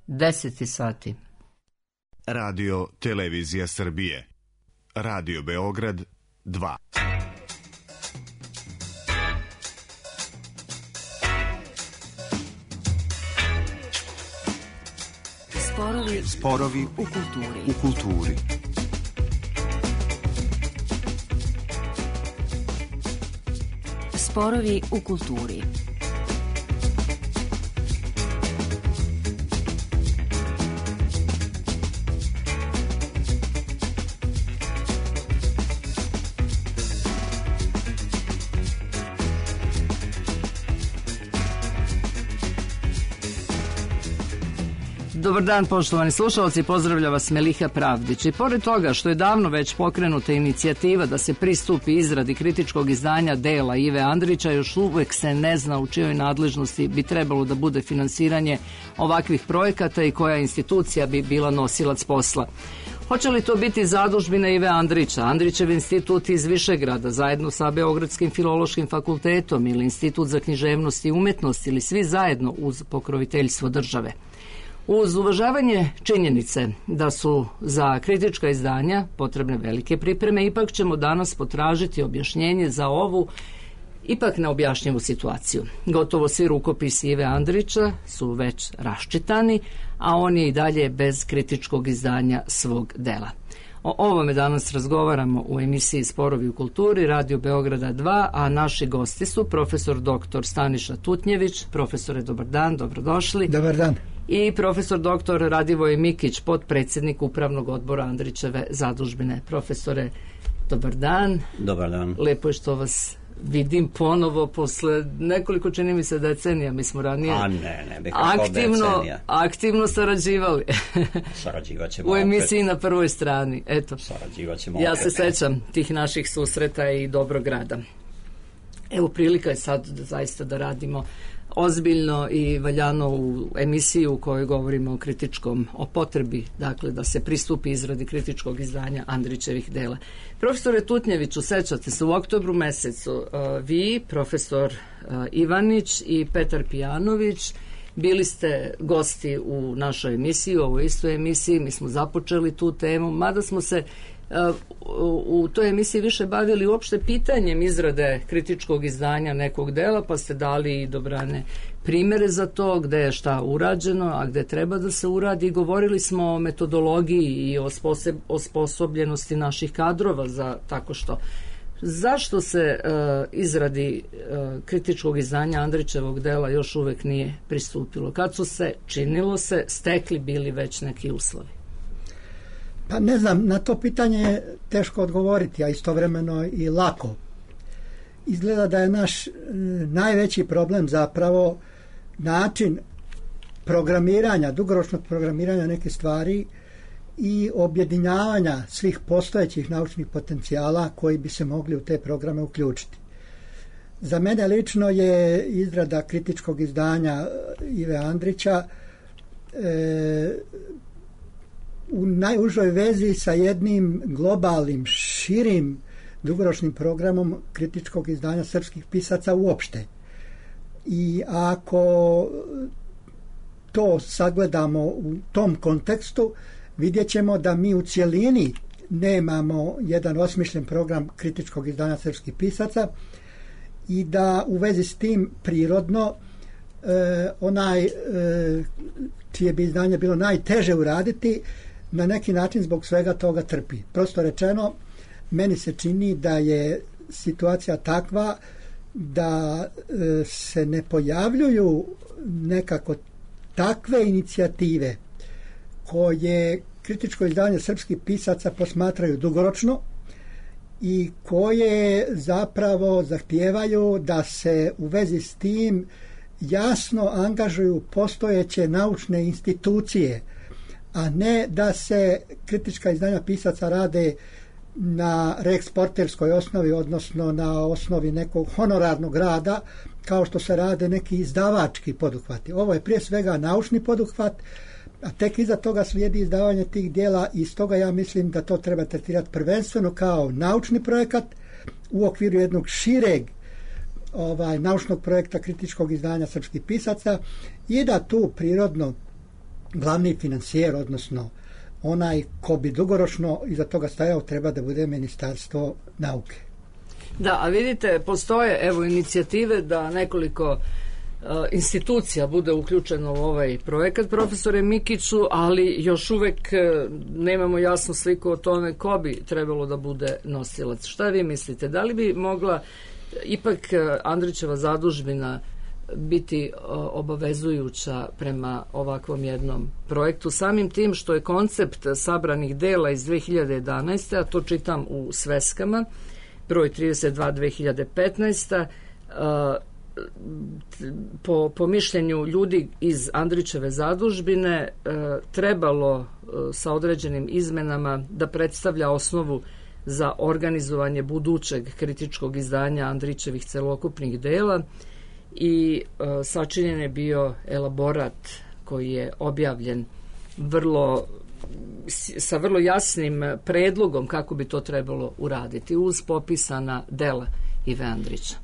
10 sati. Radio Televizija Srbije. Radio Beograd 2. Sporovi u kulturi. Sporovi u kulturi. Dobar dan, poštovani slušalci, pozdravlja vas Meliha Pravdić. I pored toga što je davno već pokrenuta inicijativa da se pristupi izradi kritičkog izdanja dela Ive Andrića, još uvek se ne zna u čijoj nadležnosti bi trebalo da bude finansiranje ovakvih projekata i koja institucija bi bila nosilac posla. Hoće li to biti zadužbina Ive Andrića, Andrićev institut iz Višegrada, zajedno sa Beogradskim filološkim fakultetom ili Institut za književnost i umetnost ili svi zajedno uz pokroviteljstvo države? Uz uvažavanje činjenice da su za kritička izdanja potrebne velike pripreme, ipak ćemo danas potražiti objašnjenje za ovu ipak neobjašnjivu situaciju. Gotovo svi rukopisi Ive Andrića su već raščitani, a on je i dalje bez kritičkog izdanja svog dela. O ovome danas razgovaramo u emisiji Sporovi u kulturi, Radio Beograda 2, a naši gosti su profesor dr. Staniša Tutnjević. Profesore, dobar dan, dobrodošli. Dobar dan. I profesor dr. Radivoj Mikić, potpredsjednik Upravnog odbora Andrićeve zadužbine. Profesore, dobar dan. Dobar dan. Lepo je što vas vidim ponovo posle nekoliko, čini mi se, decenija. Mi smo ranije aktivno sarađivali. Sarađivat ćemo u emisiji opet na prvoj strani. Eto, sarađivat ćemo ja opet. Se sećam tih naših susreta i dobrog rada. Evo, prilika je sad zaista da radimo ozbiljno i valjano u emisiju u kojoj govorimo o kritičkom, o potrebi, dakle, da se pristupi izradi kritičkog izdanja Andrićevih dela. Profesore Tutnjeviću, sećate se, u oktobru mesecu vi, profesor Ivanić i Petar Pijanović bili ste gosti u našoj emisiji, u ovoj istoj emisiji. Mi smo započeli tu temu, mada smo se u toj emisiji više bavili uopšte pitanjem izrade kritičkog izdanja nekog dela, pa ste dali i dobrane primere za to, gde je šta urađeno, a gde treba da se uradi. Govorili smo o metodologiji i o osposobljenosti naših kadrova za tako što. Zašto se izradi kritičkog izdanja Andrićevog dela još uvek nije pristupilo? Kad su se, činilo se, stekli bili već neki uslovi? Pa ne znam, na to pitanje je teško odgovoriti, a istovremeno i lako. Izgleda da je naš najveći problem zapravo način programiranja, dugoročnog programiranja neke stvari i objedinjavanja svih postojećih naučnih potencijala koji bi se mogli u te programe uključiti. Za mene lično je izrada kritičkog izdanja Ive Andrića u najužoj vezi sa jednim globalnim, širim, dugoročnim programom kritičkog izdanja srpskih pisaca uopšte. I ako to sagledamo u tom kontekstu, vidjet ćemo da mi u cjelini nemamo jedan osmišljen program kritičkog izdanja srpskih pisaca i da u vezi s tim prirodno čije bi izdanje bilo najteže uraditi, na neki način zbog svega toga trpi. Prosto rečeno, meni se čini da je situacija takva da se ne pojavljuju nekako takve inicijative koje kritičko izdanje srpskih pisaca posmatraju dugoročno i koje zapravo zahtijevaju da se u vezi s tim jasno angažuju postojeće naučne institucije, a ne da se kritička izdanja pisaca rade na reeksporterskoj osnovi, odnosno na osnovi nekog honorarnog rada, kao što se rade neki izdavački poduhvati. Ovo je prije svega naučni poduhvat, a tek iza toga slijedi izdavanje tih dijela i stoga ja mislim da to treba tretirati prvenstveno kao naučni projekat u okviru jednog šireg naučnog projekta kritičkog izdanja srpskih pisaca i da tu prirodno glavni financijer, odnosno onaj ko bi dugoročno iza toga stajao, treba da bude Ministarstvo nauke. Da, a vidite, postoje evo inicijative da nekoliko institucija bude uključeno u ovaj projekat, profesore Mikiću, ali još uvek nemamo jasnu sliku o tome ko bi trebalo da bude nosilac. Šta vi mislite? Da li bi mogla ipak Andrićeva zadužbina biti obavezujuća prema ovakvom jednom projektu, samim tim što je koncept sabranih dela iz 2011. a to čitam u sveskama, broj 32 2015. Po mišljenju ljudi iz Andrićeve zadužbine trebalo sa određenim izmenama da predstavlja osnovu za organizovanje budućeg kritičkog izdanja Andrićevih celokupnih dela i sačinjen je bio elaborat koji je objavljen sa vrlo jasnim predlogom kako bi to trebalo uraditi uz popisana dela Ive Andrića.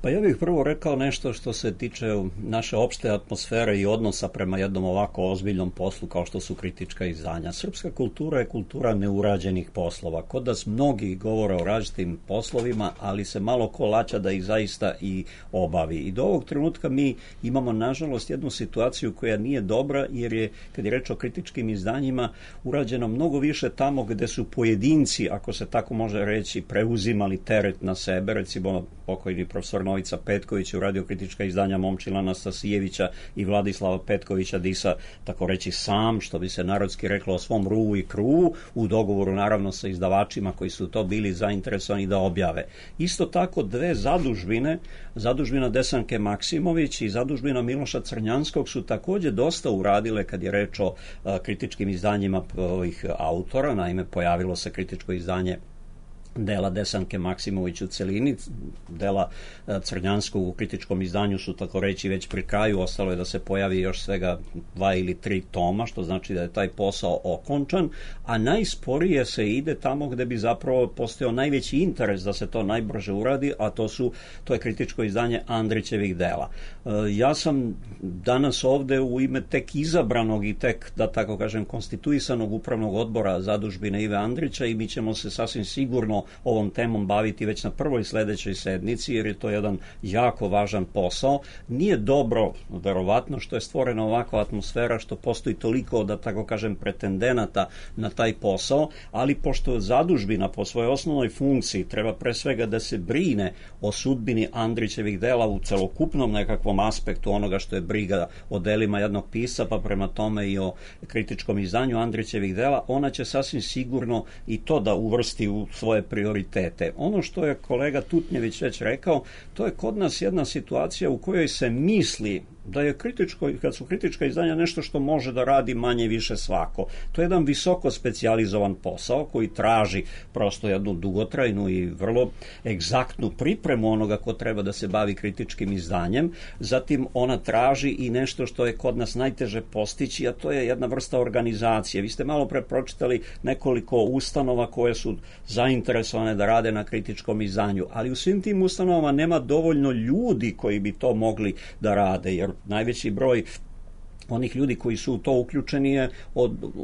Pa ja bih prvo rekao nešto što se tiče naše opšte atmosfere i odnosa prema jednom ovako ozbiljnom poslu kao što su kritička izdanja. Srpska kultura je kultura neurađenih poslova. Kod nas mnogi govore o različitim poslovima, ali se malo ko laća da ih zaista i obavi. I do ovog trenutka mi imamo, nažalost, jednu situaciju koja nije dobra, jer je, kad je reč o kritičkim izdanjima, urađeno mnogo više tamo gde su pojedinci, ako se tako može reći, preuzimali teret na sebe. Recimo, pokojni profesor Novica Petković je uradio kritička izdanja Momčila Anastasijevića i Vladislava Petkovića Disa, tako reći sam, što bi se narodski reklo, o svom ruvu i kruvu, u dogovoru naravno sa izdavačima koji su to bili zainteresovani da objave. Isto tako dve zadužbine, zadužbina Desanke Maksimović i zadužbina Miloša Crnjanskog, su takođe dosta uradile kad je reč o kritičkim izdanjima ovih autora. Naime, pojavilo se kritičko izdanje dela Desanke Maksimović u celini, dela Crnjanskog u kritičkom izdanju su, tako reći, već pri kraju, ostalo je da se pojavi još svega 2 ili 3 toma, što znači da je taj posao okončan, a najsporije se ide tamo gde bi zapravo postojao najveći interes da se to najbrže uradi, a to je kritičko izdanje Andrićevih dela. Ja sam danas ovde u ime tek izabranog i tek, da tako kažem, konstituisanog upravnog odbora zadužbine Ive Andrića i mi ćemo se sasvim sigurno ovom temom baviti već na prvoj sledećoj sednici, jer je to jedan jako važan posao. Nije dobro, verovatno, što je stvorena ovakva atmosfera, što postoji toliko, da tako kažem, pretendenata na taj posao, ali pošto zadužbina po svojoj osnovnoj funkciji treba pre svega da se brine o sudbini Andrićevih dela u celokupnom nekakvom aspektu onoga što je briga o delima jednog pisca, pa prema tome i o kritičkom izdanju Andrićevih dela, ona će sasvim sigurno i to da uvrsti u svoje prioritete. Ono što je kolega Tutnjević već rekao, to je kod nas jedna situacija u kojoj se misli da je kad su kritička izdanja nešto što može da radi manje više svako. To je jedan visoko specijalizovan posao koji traži prosto jednu dugotrajnu i vrlo egzaktnu pripremu onoga ko treba da se bavi kritičkim izdanjem. Zatim ona traži i nešto što je kod nas najteže postići, a to je jedna vrsta organizacije. Vi ste malo pre pročitali nekoliko ustanova koje su zainteresovane da rade na kritičkom izdanju, ali u svim tim ustanovama nema dovoljno ljudi koji bi to mogli da rade, jer najveći broj onih ljudi koji su u to uključeni je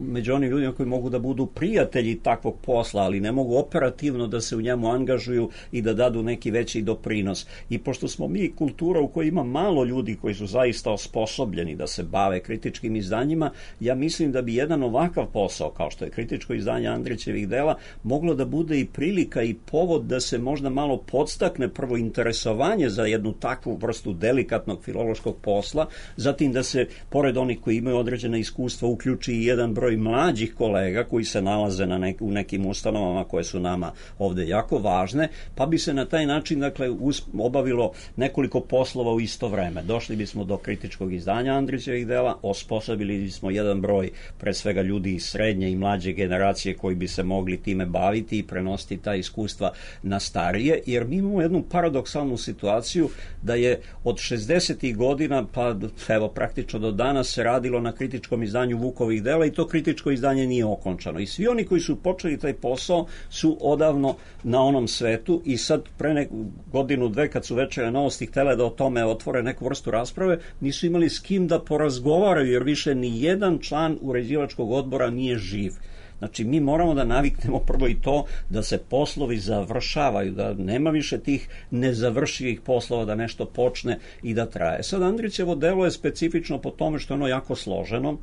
među onim ljudima koji mogu da budu prijatelji takvog posla, ali ne mogu operativno da se u njemu angažuju i da dadu neki veći doprinos. I pošto smo mi kultura u kojoj ima malo ljudi koji su zaista osposobljeni da se bave kritičkim izdanjima, ja mislim da bi jedan ovakav posao, kao što je kritičko izdanje Andrićevih dela, moglo da bude i prilika i povod da se možda malo podstakne prvo interesovanje za jednu takvu vrstu delikatnog filološkog posla, zatim da se, pored onih koji imaju određena iskustva, uključi i jedan broj mlađih kolega koji se nalaze u nekim ustanovama koje su nama ovde jako važne, pa bi se na taj način, dakle, obavilo nekoliko poslova u isto vreme. Došli bismo do kritičkog izdanja Andrićevih dela, osposobili bismo jedan broj, pre svega, ljudi iz srednje i mlađe generacije koji bi se mogli time baviti i prenositi ta iskustva na starije, jer mi imamo jednu paradoksalnu situaciju da je od 60. godina pa evo praktično do danas godina se radilo na kritičkom izdanju Vukovih dela i to kritičko izdanje nije okončano. I svi oni koji su počeli taj posao su odavno na onom svetu i sad pre godinu, dve kad su Večernje novosti htele da o tome otvore neku vrstu rasprave, nisu imali s kim da porazgovaraju jer više ni jedan član uređivačkog odbora nije živ. Znači, mi moramo da naviknemo prvo i to da se poslovi završavaju, da nema više tih nezavršivih poslova, da nešto počne i da traje. Sad, Andrićevo delo je specifično po tome što je ono jako složeno,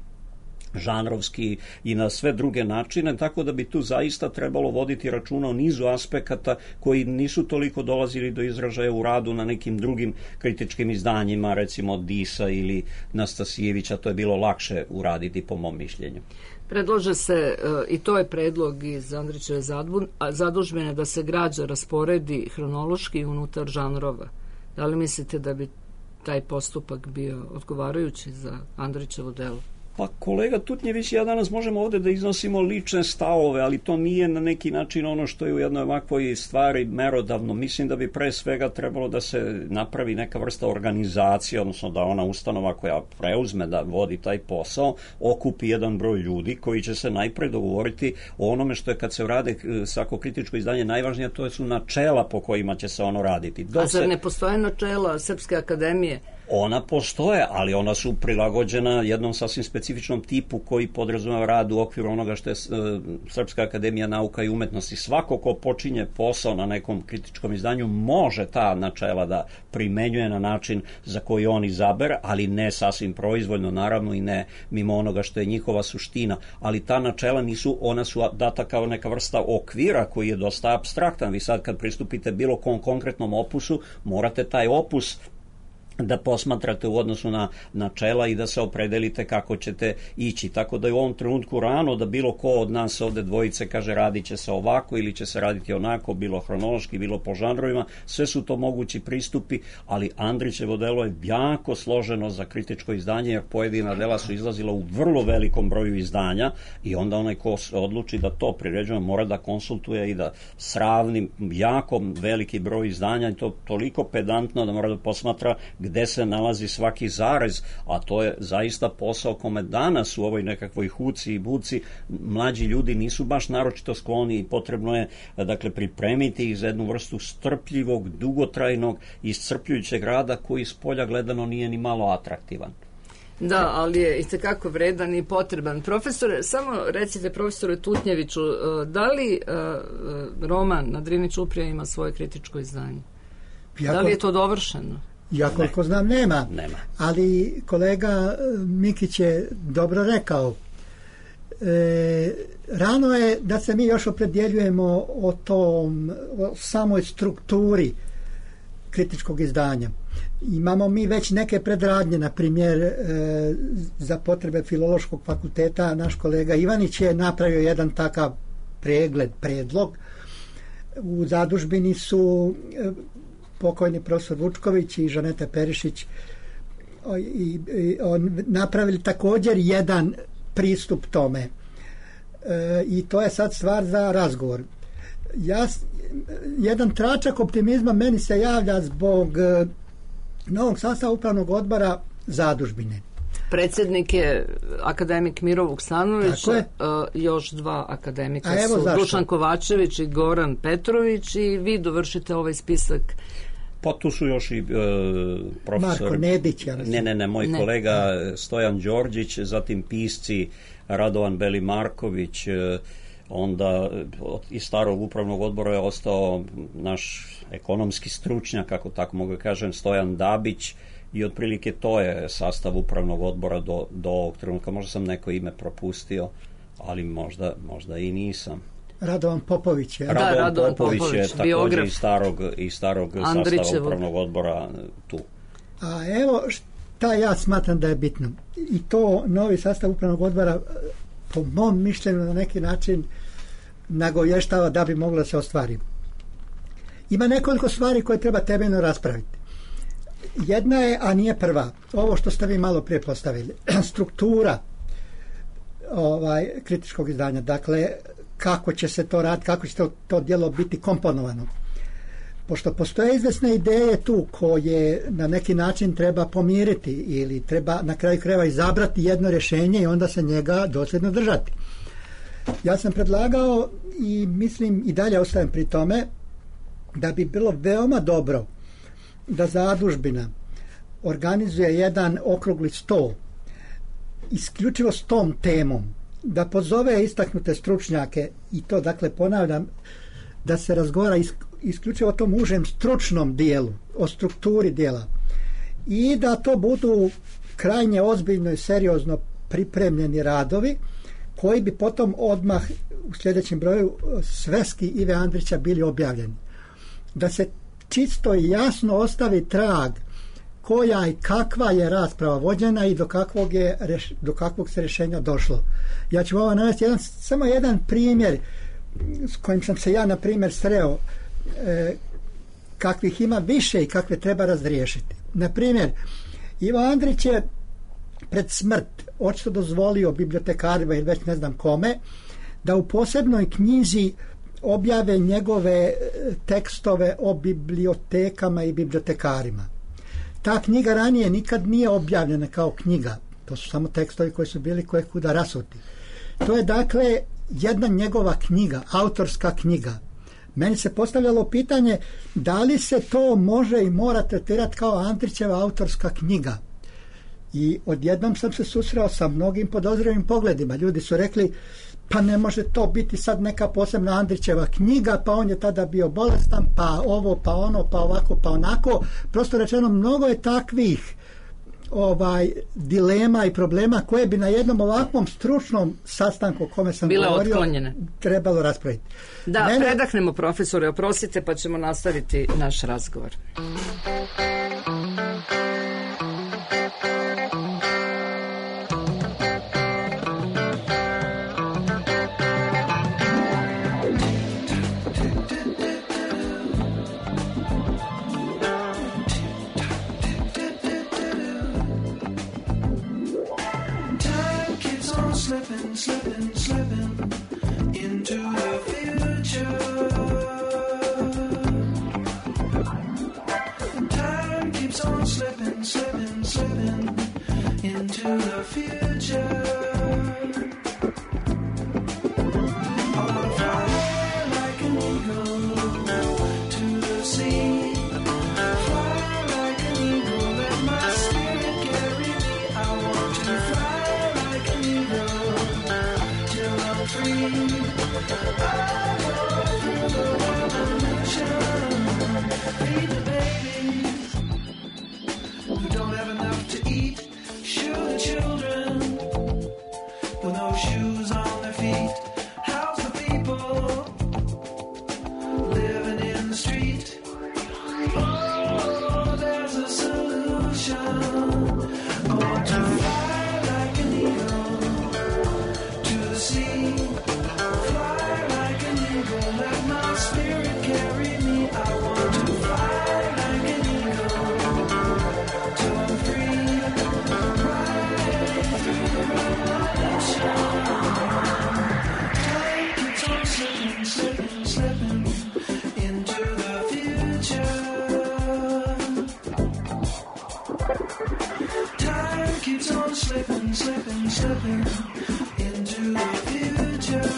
žanrovski i na sve druge načine, tako da bi tu zaista trebalo voditi računa o nizu aspekata koji nisu toliko dolazili do izražaja u radu na nekim drugim kritičkim izdanjima, recimo Disa ili Nastasijevića, to je bilo lakše uraditi po mom mišljenju. Predlaže se, i to je predlog iz Andrićeve zadužbine, da se građa rasporedi hronološki unutar žanrova. Da li mislite da bi taj postupak bio odgovarajući za Andrićevo delo? Pa kolega Tutnjević, ja danas možemo ovde da iznosimo lične stavove, ali to nije na neki način ono što je u jednoj ovakvoj stvari merodavno. Mislim da bi pre svega trebalo da se napravi neka vrsta organizacije, odnosno da ona ustanova koja preuzme da vodi taj posao, okupi jedan broj ljudi koji će se najpre dogovoriti o onome što je kad se rade svako kritičko izdanje najvažnije, to su načela po kojima će se ono raditi. A zar ne postoje načela Srpske akademije? Ona postoje, ali ona su prilagođena jednom sasvim specifičnom tipu koji podrazumeva rad u okviru onoga što je Srpska akademija nauka i umetnosti. Svako ko počinje posao na nekom kritičkom izdanju može ta načela da primenjuje na način za koji on izabere, ali ne sasvim proizvoljno, naravno, i ne mimo onoga što je njihova suština. Ali ta načela nisu, ona su data kao neka vrsta okvira koji je dosta apstraktan. Vi sad kad pristupite bilo kom konkretnom opusu, morate taj opus da posmatrate u odnosu na načela i da se opredelite kako ćete ići. Tako da je u ovom trenutku rano da bilo ko od nas ovde dvojice kaže radit će se ovako ili će se raditi onako, bilo hronološki, bilo po žanrovima. Sve su to mogući pristupi, ali Andrićevo delo je jako složeno za kritičko izdanje, jer pojedina dela su izlazila u vrlo velikom broju izdanja i onda onaj ko se odluči da to priređuje mora da konsultuje i da sravni jako veliki broj izdanja i to toliko pedantno da mora da posmatra gde se nalazi svaki zarez, a to je zaista posao kome danas u ovoj nekakvoj huci i buci mlađi ljudi nisu baš naročito skloni i potrebno je, dakle, pripremiti ih za jednu vrstu strpljivog, dugotrajnog i iscrpljujućeg rada koji s polja gledano nije ni malo atraktivan. Da, ali je itekako vredan i potreban. Profesore, samo recite profesoru Tutnjeviću, da li roman Na Drini čuprija ima svoje kritičko izdanje? Da li je to dovršeno? Ja koliko znam nema, ali kolega Mikić je dobro rekao. Rano je da se mi još opredjeljujemo o samoj strukturi kritičkog izdanja. Imamo mi već neke predradnje, na primjer za potrebe Filološkog fakulteta naš kolega Ivanić je napravio jedan takav predlog. U zadužbini su pokojni profesor Vučković i Žaneta Perišić napravili također jedan pristup tome. I to je sad stvar za razgovor. Jedan tračak optimizma meni se javlja zbog novog sastava upravnog odbora zadužbine. Predsjednik je akademik Miro Vuksanović, još dva akademika su Dušan Kovačević i Goran Petrović i vi dovršite ovaj spisak. Pa tu su još i profesor Marko Nedić, moj kolega Stojan Đorđić, zatim pisci Radovan Beli-Marković, onda iz starog upravnog odbora je ostao naš ekonomski stručnjak, kako tako mogu kažem, Stojan Dabić, i otprilike to je sastav upravnog odbora do ovog trenutka. Možda sam neko ime propustio, ali možda i nisam. Radovan Popović je. Radovan Popović je također iz starog sastava upravnog odbora tu. A evo šta ja smatram da je bitno. I to novi sastav upravnog odbora po mom mišljenju na neki način nagovještava da bi moglo da se ostvari. Ima nekoliko stvari koje treba temeljno raspraviti. Jedna je, a nije prva, ovo što ste vi malo prije postavili, struktura kritičkog izdanja, dakle kako će se to raditi, kako će to djelo biti komponovano. Pošto postoje izvesne ideje tu koje na neki način treba pomiriti ili treba na kraju krajeva izabrati jedno rješenje i onda se njega dosljedno držati. Ja sam predlagao i mislim i dalje ostajem pri tome da bi bilo veoma dobro da zadužbina organizuje jedan okrugli sto isključivo s tom temom, da pozove istaknute stručnjake i to, dakle, ponavljam, da se razgovara isključivo o tom užem stručnom dijelu, o strukturi dijela i da to budu krajnje ozbiljno i seriozno pripremljeni radovi koji bi potom odmah u sljedećem broju sveski Ive Andrića bili objavljeni. Da se čisto i jasno ostavi trag koja i kakva je rasprava vođena i do kakvog se rješenja došlo. Ja ću ovo navesti samo jedan primjer s kojim sam se ja, na primjer, sreo, kakvih ima više i kakve treba razriješiti. Na primjer, Ivo Andrić je pred smrt očito dozvolio bibliotekarima ili već ne znam kome da u posebnoj knjizi objave njegove tekstove o bibliotekama i bibliotekarima. Ta knjiga ranije nikad nije objavljena kao knjiga. To su samo tekstovi koji su bili kojekuda rasuti. To je, dakle, jedna njegova knjiga, autorska knjiga. Meni se postavljalo pitanje da li se to može i mora tretirati kao Andrićeva autorska knjiga. I odjednom sam se susreo sa mnogim podozrivim pogledima. Ljudi su rekli, pa ne može to biti sad neka posebna Andrićeva knjiga, pa on je tada bio bolestan, pa ovo, pa ono, pa ovako, pa onako. Prosto rečeno, mnogo je takvih dilema i problema koje bi na jednom ovakvom stručnom sastanku o kome sam govorio otklonjene, trebalo raspraviti. Da, predahnemo, profesore, oprostite, pa ćemo nastaviti naš razgovor. Slipping into the future. Time keeps on slipping into the future. I wanna fly like an eagle to the sea. Fly like an eagle, let my spirit carry me. I want to fly like an eagle. Free. I go through the revolution. Feed the babies who don't have enough to eat. Shoe the children with no shoes on their feet. House the people living in the street. Oh, there's a solution. I want to fly like an eagle to the sea. Let my spirit carry me. I want to fly like an eagle till I'm free. Right through the revolution. Time keeps on slipping into the future. Time keeps on slipping into the future.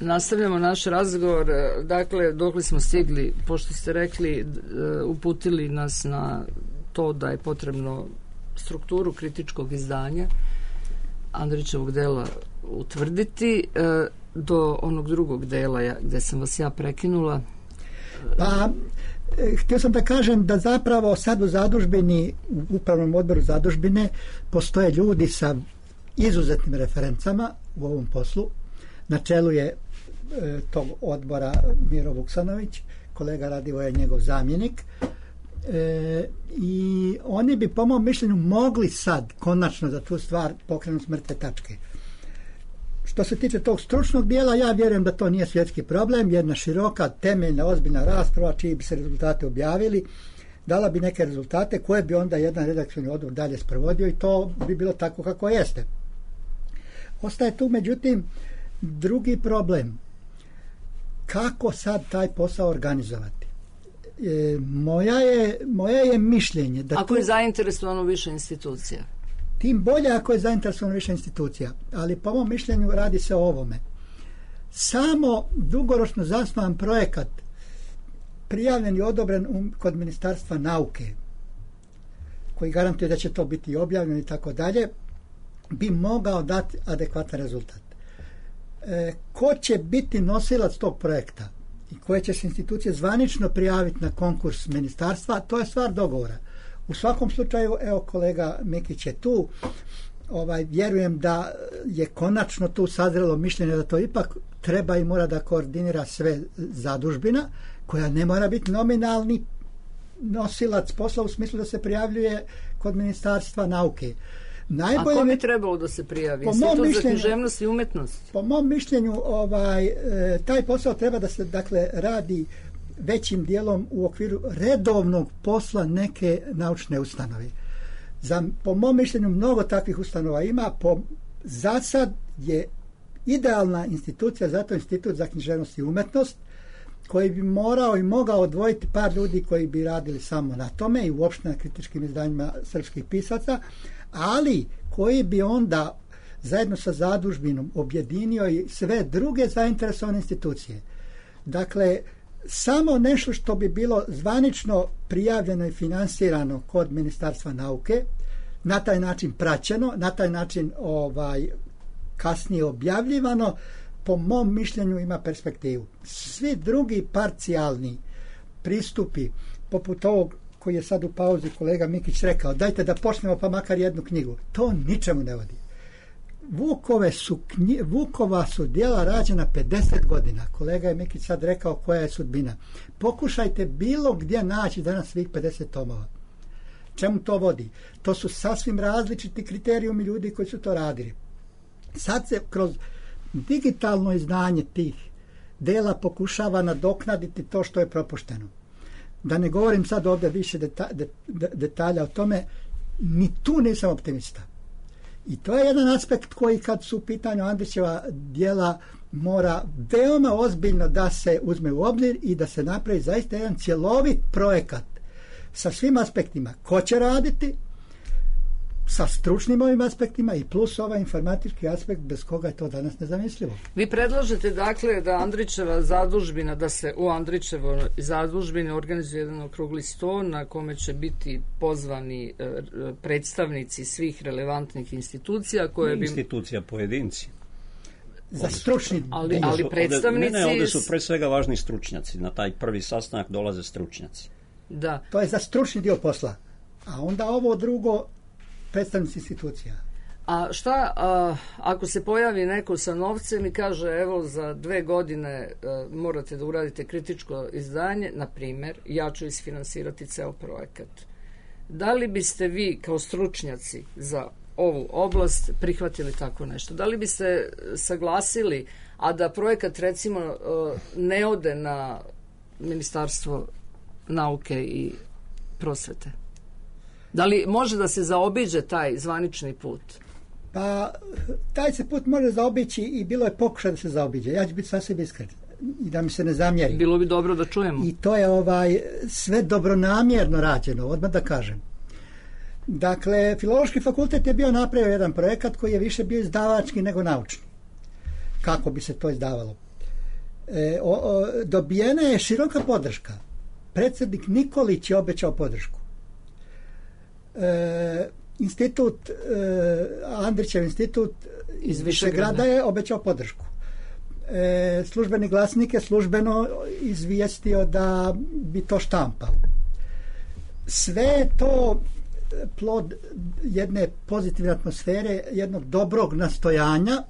Nastavljamo naš razgovor. Dakle, dokle smo stigli, pošto ste rekli, uputili nas na to da je potrebno strukturu kritičkog izdanja Andrićevog dela utvrditi do onog drugog dela gde sam vas ja prekinula? Pa, htio sam da kažem da zapravo sad u zadužbini, u upravnom odboru zadužbine, postoje ljudi sa izuzetnim referencama u ovom poslu. Na čelu je tog odbora Miro Vuksanović, kolega Radivoje je njegov zamjenik. I oni bi po mom mišljenju mogli sad konačno za tu stvar pokrenuti s mrtve tačke. Što se tiče tog stručnog dijela, ja vjerujem da to nije svjetski problem. Jedna široka, temeljna, ozbiljna rasprava čiji bi se rezultate objavili dala bi neke rezultate koje bi onda jedan redakcioni odbor dalje sprovodio i to bi bilo tako kako jeste. Ostaje tu međutim drugi problem. Kako sad taj posao organizovati? Moja je mišljenje da ako je zainteresovano više institucija, tim bolje ako je zainteresovano više institucija, ali po mom mišljenju radi se o ovome. Samo dugoročno zasnovan projekat prijavljen i odobren kod Ministarstva nauke, koji garantuje da će to biti objavljeno i tako dalje, bi mogao dati adekvatan rezultat. Ko će biti nosilac tog projekta i koje će se institucije zvanično prijaviti na konkurs ministarstva, to je stvar dogovora. U svakom slučaju, evo kolega Mikić je tu, vjerujem da je konačno tu sazrelo mišljenje da to ipak treba i mora da koordinira sve zadužbina, koja ne mora biti nominalni nosilac posla u smislu da se prijavljuje kod Ministarstva nauke. Najbolje, a ko bi trebalo da se prijavi? Institut za književnost i umetnost? Po mom mišljenju taj posao treba da se dakle radi većim dijelom u okviru redovnog posla neke naučne ustanove. Po mom mišljenju mnogo takvih ustanova ima. Za sad je idealna institucija za to Institut za književnost i umetnost, koji bi morao i mogao odvojiti par ljudi koji bi radili samo na tome i uopšte na kritičkim izdanjima srpskih pisaca, ali koji bi onda zajedno sa zadužbinom objedinio i sve druge zainteresovane institucije. Dakle, samo nešto što bi bilo zvanično prijavljeno i finansirano kod Ministarstva nauke, na taj način praćeno, na taj način kasnije objavljivano, po mom mišljenju ima perspektivu. Svi drugi parcijalni pristupi, poput ovog koji je sad u pauzi kolega Mikić rekao, dajte da počnemo pa makar jednu knjigu, to ničemu ne vodi. Vukova su djela rađena 50 godina. Kolega je Mikić sad rekao koja je sudbina. Pokušajte bilo gdje naći danas svih 50 tomova. Čemu to vodi? To su sasvim različiti kriterijumi ljudi koji su to radili. Sad se kroz digitalno izdanje tih dela pokušava nadoknaditi to što je propušteno. Da ne govorim sad ovdje više detalja o tome, ni tu nisam optimista. I to je jedan aspekt koji kad su u pitanju Andrićeva djela mora veoma ozbiljno da se uzme u obzir i da se napravi zaista jedan cjelovit projekat sa svim aspektima. Ko će raditi, sa stručnim ovim aspektima i plus ovaj informatički aspekt bez koga je to danas nezamislivo. Vi predlažete dakle da Andrićeva zadužbina, da se u Andrićevoj zadužbini organizuje jedan okrugli sto na kome će biti pozvani predstavnici svih relevantnih institucija koje bi... Institucija pojedinci. Za stručni... Ali predstavnici... Ovdje su pre svega važni stručnjaci. Na taj prvi sastanak dolaze stručnjaci. Da. To je za stručni dio posla. A onda ovo drugo predstavnici institucija. A šta ako se pojavi neko sa novcem i kaže evo za 2 godine morate da uradite kritičko izdanje, na primjer, ja ću isfinansirati ceo projekat. Da li biste vi kao stručnjaci za ovu oblast prihvatili tako nešto? Da li biste saglasili, a da projekat recimo ne ode na Ministarstvo nauke i prosvete? Da li može da se zaobiđe taj zvanični put? Pa, taj se put može zaobići i bilo je pokušaj da se zaobiđe. Ja ću biti sasvim iskren i da mi se ne zamjeri. Bilo bi dobro da čujemo. I to je sve dobronamjerno rađeno, odmah da kažem. Dakle, Filološki fakultet je bio napravio jedan projekat koji je više bio izdavački nego naučni. Kako bi se to izdavalo? Dobijena je široka podrška. Predsjednik Nikolić je obećao podršku. institut, Andrićev institut iz Višegrada je obećao podršku. Službeni glasnik je službeno izvijestio da bi to štampao. Sve je to plod jedne pozitivne atmosfere, jednog dobrog nastojanja,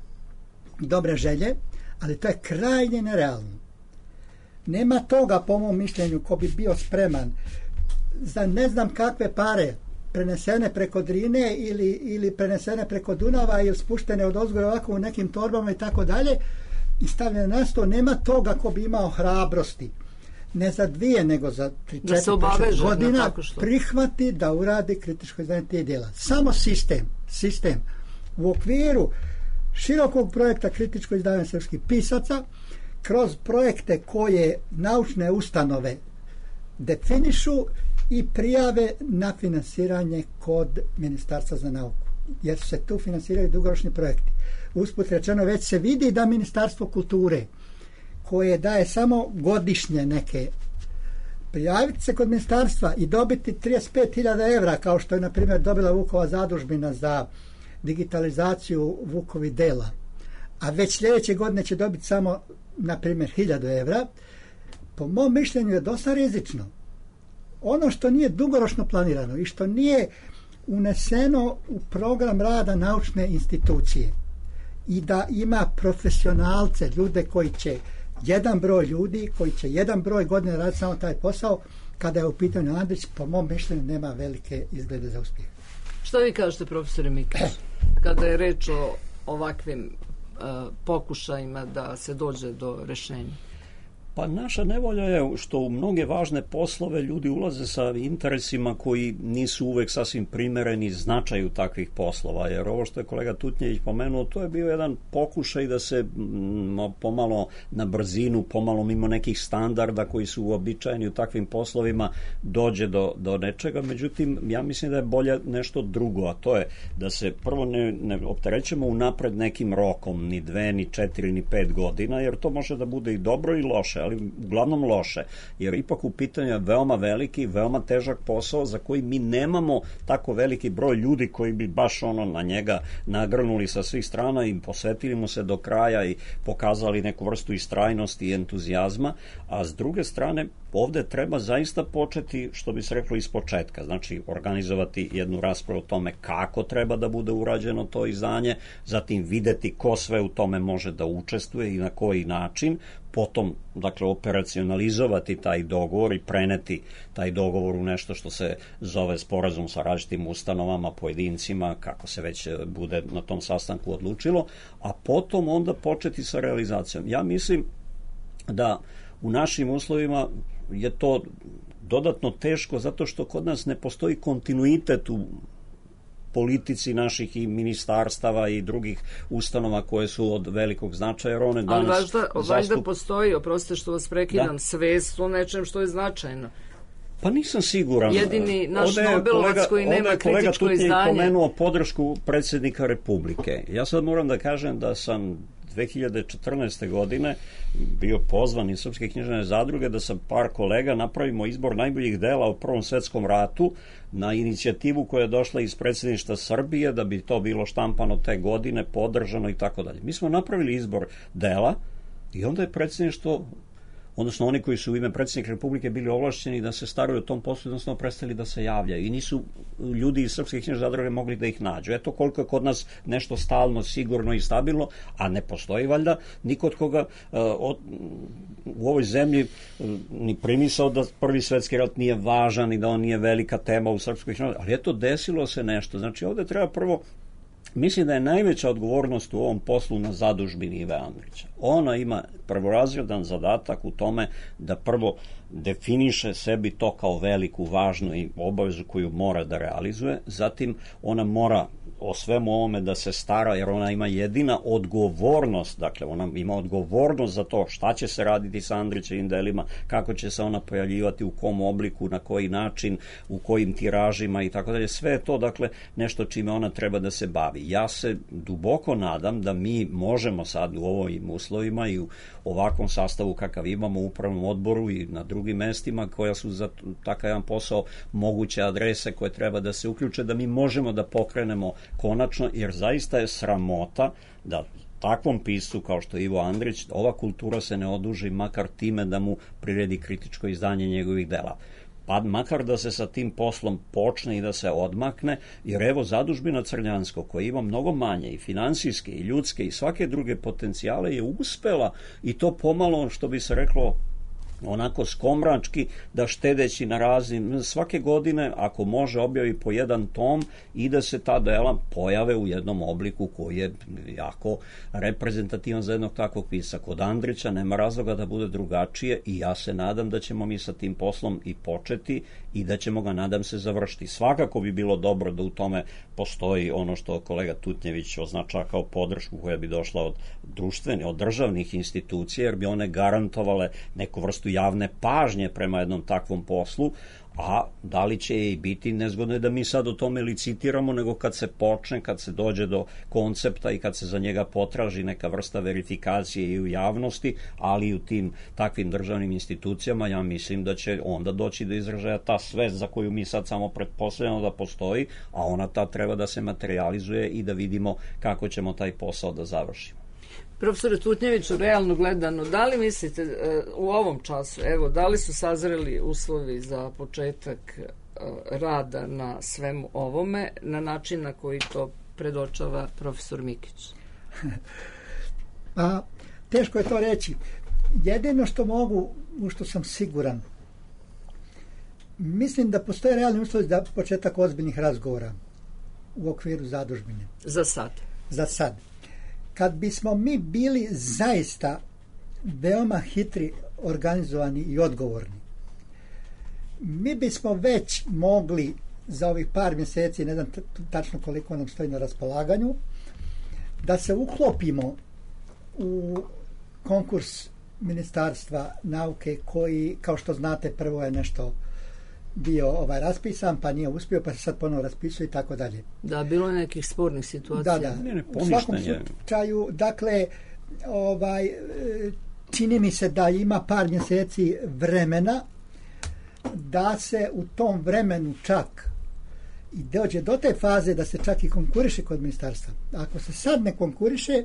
dobre želje, ali to je krajnje nerealno. Nema toga, po mom mišljenju, ko bi bio spreman za ne znam kakve pare prenesene preko Drine ili prenesene preko Dunava ili spuštene od ozgo ovako u nekim torbama i tako dalje i stavljene na sto, nema toga ko bi imao hrabrosti ne za 2 nego za 3-4 godina prihvati da uradi kritičko izdanje tih djela. Samo sistem u okviru širokog projekta kritičko izdanje srpskih pisaca kroz projekte koje naučne ustanove definišu i prijave na finansiranje kod Ministarstva za nauku, jer se tu finansiraju dugoročni projekti. Usput rečeno, već se vidi da Ministarstvo kulture, koje daje samo godišnje neke, prijaviti se kod ministarstva i dobiti 35.000 evra, kao što je, na primjer, dobila Vukova zadužbina za digitalizaciju Vukovi dela, a već sljedeće godine će dobiti samo, na primjer, 1.000 evra, po mom mišljenju je dosta rizično. Ono što nije dugoročno planirano i što nije uneseno u program rada naučne institucije i da ima profesionalce, ljude koji će jedan broj ljudi, koji će jedan broj godina raditi samo taj posao, kada je u pitanju Andrić, po mom mišljenju nema velike izglede za uspjeh. Što vi kažete, profesore Mikić, kada je reč o ovakvim pokušajima da se dođe do rešenja? Pa naša nevolja je što u mnoge važne poslove ljudi ulaze sa interesima koji nisu uvek sasvim primereni značaju takvih poslova, jer ovo što je kolega Tutnjević pomenuo, to je bio jedan pokušaj da se pomalo na brzinu, pomalo mimo nekih standarda koji su uobičajeni u takvim poslovima dođe do nečega, međutim ja mislim da je bolje nešto drugo, a to je da se prvo ne opterećemo unapred nekim rokom, ni 2, ni 4, ni 5 godina, jer to može da bude i dobro i loše, ali uglavnom loše, jer ipak u pitanju je veoma veliki, veoma težak posao za koji mi nemamo tako veliki broj ljudi koji bi baš na njega nagrnuli sa svih strana i posvetili mu se do kraja i pokazali neku vrstu istrajnosti i entuzijazma, a s druge strane ovde treba zaista početi, što bi se reklo, iz početka, znači organizovati jednu raspravu o tome kako treba da bude urađeno to izdanje, zatim videti ko sve u tome može da učestvuje i na koji način, potom, dakle, operacionalizovati taj dogovor i preneti taj dogovor u nešto što se zove sporazum sa različitim ustanovama, pojedincima, kako se već bude na tom sastanku odlučilo, a potom onda početi sa realizacijom. Ja mislim da u našim uslovima je to dodatno teško zato što kod nas ne postoji kontinuitet u politici naših i ministarstava i drugih ustanova koje su od velikog značaja, jer one danas... Ali valjda postoji, oprostite što vas prekidam, svest o nečem što je značajno. Pa nisam siguran. Jedini naš Nobelovac koji nema kritičko izdanje. Kolega Tutnjević pomenuo podršku predsjednika Republike. Ja sad moram da kažem da sam 2014. godine bio pozvan iz Srpske književne zadruge da sa par kolega napravimo izbor najboljih dela u Prvom svetskom ratu na inicijativu koja je došla iz predsjedništva Srbije, da bi to bilo štampano te godine, podržano i tako dalje. Mi smo napravili izbor dela i onda je predsjedništvo, odnosno oni koji su u ime predsjednika Republike bili ovlašćeni da se staraju o tom poslu, odnosno prestali da se javljaju i nisu ljudi iz Srpske književne zadruge mogli da ih nađu. Eto koliko je kod nas nešto stalno, sigurno i stabilno, a ne postoji valjda niko od koga u ovoj zemlji ni primisao da Prvi svetski rat nije važan i da on nije velika tema u Srpskoj književnoj zadrugi, ali eto desilo se nešto. Znači ovde treba prvo, mislim da je najveća odgovornost u ovom poslu na zadužbini Ive Andrića. Ona ima prvorazredan zadatak u tome da prvo definiše sebi to kao veliku, važnu i obavezu koju mora da realizuje, zatim ona mora o svemu ovome da se stara, jer ona ima jedina odgovornost, dakle ona ima odgovornost za to šta će se raditi sa Andrićevim delima, kako će se ona pojavljivati, u kom obliku, na koji način, u kojim tiražima i tako dalje. Sve je to, dakle, nešto čime ona treba da se bavi. ja se duboko nadam da mi možemo sad u ovim uslovima i u ovakvom sastavu kakav imamo u upravnom odboru i na drugim mestima koja su za takav jedan posao moguće adrese koje treba da se uključe, da mi možemo da pokrenemo konačno, jer zaista je sramota da takvom piscu kao što je Ivo Andrić, ova kultura se ne oduži makar time da mu priredi kritičko izdanje njegovih dela. Pa makar da se sa tim poslom počne i da se odmakne, jer evo Zadužbina Crnjansko, koja ima mnogo manje i finansijske i ljudske i svake druge potencijale, je uspela i to pomalo, što bi se reklo, onako skomrački, da štedeći na raznim, svake godine ako može objavi po jedan tom i da se ta dela pojave u jednom obliku koji je jako reprezentativan za jednog takvog pisca. Kod Andrića nema razloga da bude drugačije i ja se nadam da ćemo mi sa tim poslom i početi i da ćemo ga, nadam se, završiti. Svakako bi bilo dobro da u tome postoji ono što kolega Tutnjević označava kao podršku koja bi došla od od državnih institucija, jer bi one garantovale neku vrstu javne pažnje prema jednom takvom poslu, a da li će i biti, nezgodno je da mi sad o tome licitiramo, nego kad se počne, kad se dođe do koncepta i kad se za njega potraži neka vrsta verifikacije i u javnosti, ali i u tim takvim državnim institucijama, ja mislim da će onda doći do izražaja ta svest za koju mi sad samo pretpostavljamo da postoji, a ona ta treba da se materializuje i da vidimo kako ćemo taj posao da završimo. Profesore Tutnjeviću, realno gledano, da li mislite u ovom času, evo, da li su sazreli uslovi za početak rada na svemu ovome na način na koji to predočava profesor Mikić? Pa, teško je to reći. Jedino što mogu, u što sam siguran, mislim da postoje realni uslovi za početak ozbiljnih razgovora u okviru zadužbine. Za sad? Za sad. Kad bismo mi bili zaista veoma hitri, organizovani i odgovorni, mi bismo već mogli za ovih par mjeseci, ne znam tačno koliko nam stoji na raspolaganju, da se uklopimo u konkurs Ministarstva nauke koji, kao što znate, prvo je nešto bio raspisan, pa nije uspio, pa se sad ponovo raspisuje i tako dalje. Da, bilo je nekih spornih situacija. Da. U svakom slučaju, dakle, čini mi se da ima par mjeseci vremena da se u tom vremenu čak i dođe do te faze da se čak i konkuriše kod ministarstva. Ako se sad ne konkuriše,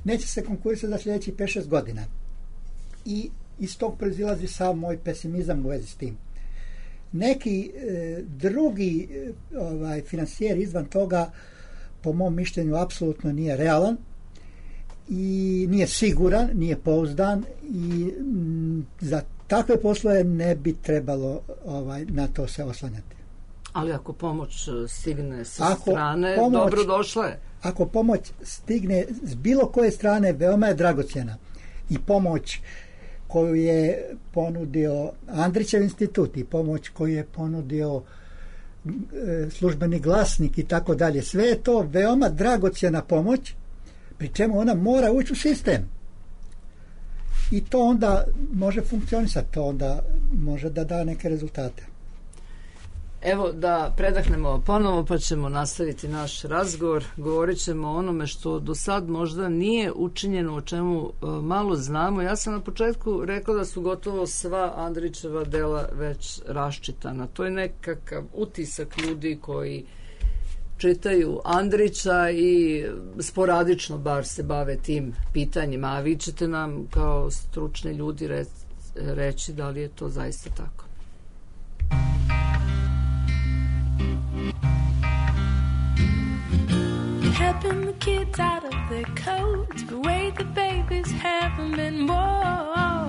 neće se konkurisati za sljedećih 5-6 godina. I iz tog proizilazi sam moj pesimizam u vezi s tim. Neki drugi financijer izvan toga, po mom mišljenju, apsolutno nije realan i nije siguran, nije pouzdan i za takve poslove ne bi trebalo na to se oslanjati. Ali ako pomoć stigne sa strane, dobro došla je. Ako pomoć stigne s bilo koje strane, veoma je dragocjena. I pomoć koju je ponudio Andrićev institut i pomoć koju je ponudio Službeni glasnik i tako dalje. Sve je to veoma dragocjena pomoć, pri čemu ona mora ući u sistem. I to onda može funkcionisati, to onda može da da neke rezultate. Evo da predahnemo ponovo pa ćemo nastaviti naš razgovor. Govorit ćemo o onome što do sad možda nije učinjeno, o čemu malo znamo. Ja sam na početku rekla da su gotovo sva Andrićeva dela već raščitana. To je nekakav utisak ljudi koji čitaju Andrića i sporadično bar se bave tim pitanjima. A vi ćete nam kao stručni ljudi reći da li je to zaista tako. Helping the kids out of their coats, the way the babies haven't been born.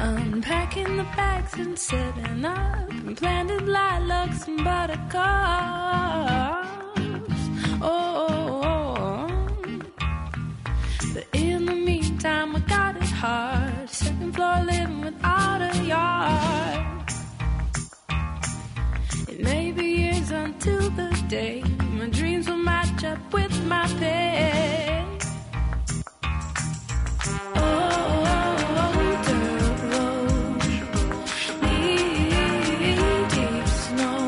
Unpacking the bags and setting up and planted lilacs and buttercups. But in the meantime, I got it hard. Second floor living without a yard. It may be years until the day my dreams will match up with my pay. Dirt road, knee deep snow.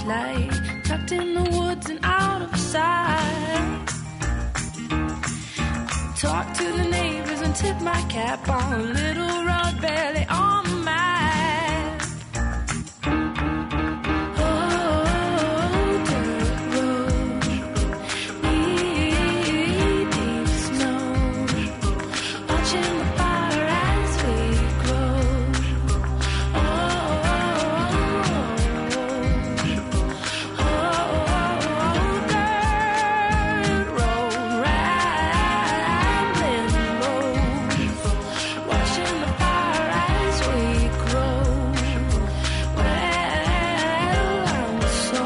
sleigh, tucked in the woods and out of sight. Talk to the neighbors and tip my cap on a little round belly on the map. Oh, dirt road, knee-deep snow, watching the fire as we grow. Dirt road, rambling road, watching the fire as we grow. Well, I'm so